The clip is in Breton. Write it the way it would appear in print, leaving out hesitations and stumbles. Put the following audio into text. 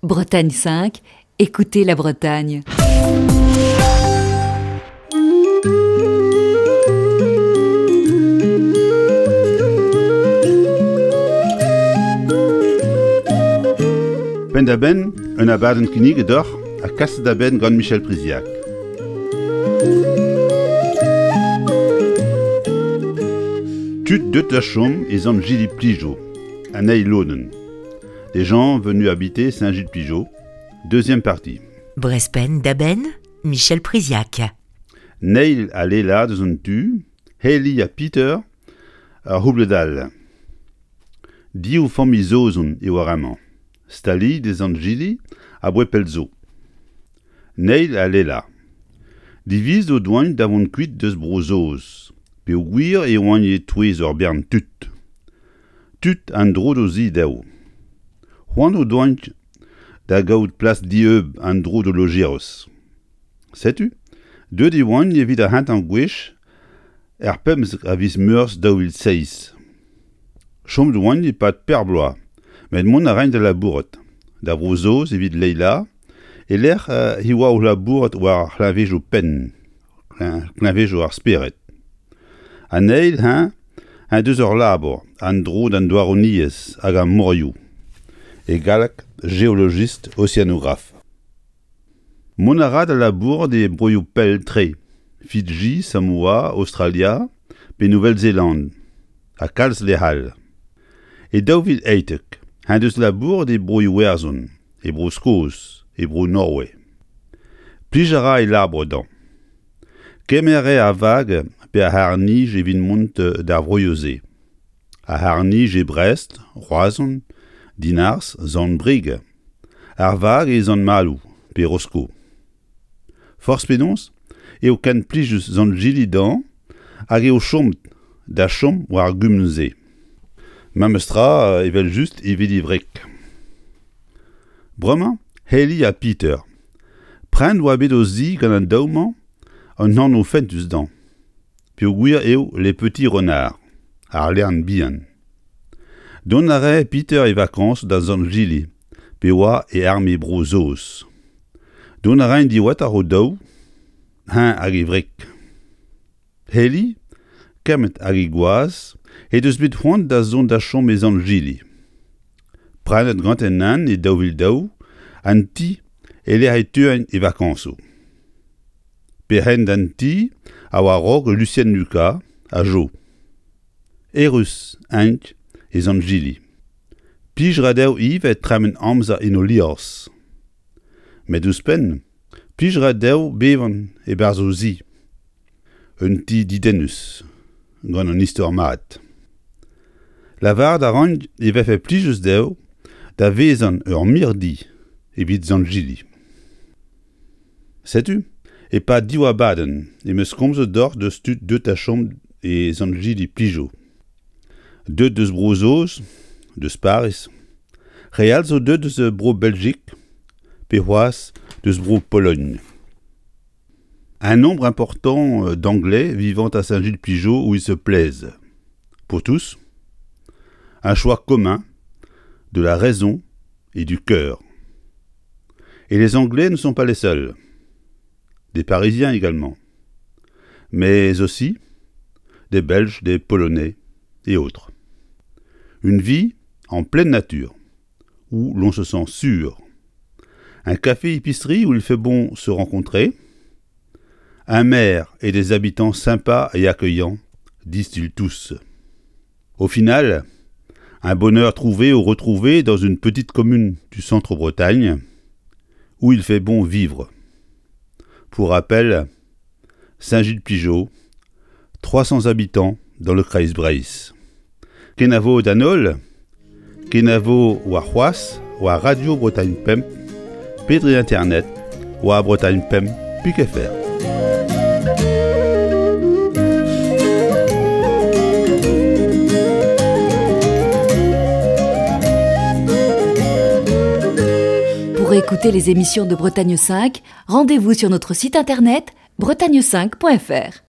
Bretagne 5, écoutez la Bretagne. Penn-da-benn, un abadenn kinniget deoc'h ha kaset da benn gant Michel Priziac. Tud deut da chom e Sant-Jili-Plijo, an eil lodenn. Des gens venus habiter Saint-Gilles-Pligeau, deuxième partie. Brespenn da benn, Michel Priziac. Neil ha Leila deus an tu, Haley ha Peter ar c'houbled all. Div familh Saozon eo ar re-mañ, staliet e Sant-Jili aboae pell zo. Neil ha Leila. Divizet o doaint da vont kuit deus Bro-Saoz peogwir e oant e-touez ur bern tud. Tud an dro d'o zi dezho. C'hoant o doaint da gaout plas dieub an dro d'o lojeroz. Setu, deuet e oant evit ar c'hentañ gwech er 15 a viz Meurzh 2007. Chomet oant e-pad per bloaz, met mont a raint da labourat, da Vro-Saoz evit Leila, e-lec'h he oa o labourat war ar c'hleñvejoù penn, kleñvejoù ar spered. An eil, eñ, en deus ur labour an dro d'an douaroniezh hag ar morioù, e galleg géologiste océanographe. Mont a ra da labourat e broioù pell-tre, Fidji, Samoa, Aostralia pe Nouvelle-Zélande, ha kalz lec'h all. E 2018 en deus labouret e Bro-Iwerzhon, e Bro-Skos, e Bro-Norway. Plij a ra e labour dezhañ. Kemer a rae ar vag pe ar c'harr-nij evit mont d'ar vroioù-se. Ar c'harr-nij e Brest, Roazhon, Dinarzh, Sant-Brieg. Ar vag e Sant-Maloù pe Rosko. Forzh penaos eo ken plijus Sant-Jili dezhañ hag eo chomet da chom war ar gumun-se. Memes tra evel-just evit e wreg. Bremañ, Haley ha Peter. Prenet oa bet o zi gant an daou-mañ un anv fentus dezhañ, peogwir eo Les Petits Renards, ar lern bihan. Dont a rae Peter e vakañsoù da Sant-Jili pe oa e arme Bro-Saoz. Dont a raent diwezhatoc'h o-daou, eñ hag e wreg. Heli, kemmet hag he gwaz, he deus bet c'hoant da zont da chom e Sant-Jili. Prenet ganti an e 2002 an ti e-lec'h e teuent e vakañsoù. Perc'henn d'an ti a oa a-raok Lucienne Lucas ha Jo. Errus int e Sant-Jili. Plij 'ra dezho ivez tremen amzer en o liorzh. Met ouzhpenn, plij 'ra dezho bevañ e-barzh o zi. Un ti didennus, gant un istor mat. Lavaret a ran e vefe plijus dezho da vezañ ur mirdi evit Sant-Jili. Setu, e-pad div abadenn em eus komzet deoc'h deus tud deuet da chom e Sant-Jili-Plijo. Deuet deus Bro-Saoz, deus Pariz. Re all zo deuet deus Bro-Beljik pe c'hoazh deus Bro-Pologn. Un nombre important euh, d'Anglais vivant à Saint-Gilles-Pligeau où ils se plaisent. Pour tous, un choix commun de la raison et du cœur. Et les Anglais ne sont pas les seuls. Des Parisiens également. Mais aussi des Belges, des Polonais et autres. Une vie en pleine nature, où l'on se sent sûr. Un café-épicerie où il fait bon se rencontrer. Un maire et des habitants sympas et accueillants, disent-ils tous. Au final, un bonheur trouvé ou retrouvé dans une petite commune du centre-Bretagne, où il fait bon vivre. Pour rappel, Saint-Gilles-Pligeau, 300 habitants dans le Kreiz Breizh. Kenavo d'an holl, kenavo warc'hoazh war Radio Bretagne Pemp pe dre internet war Bretagne Pemp pik.fr. Pour écouter les émissions de Bretagne 5, rendez-vous sur notre site internet bretagne5.fr.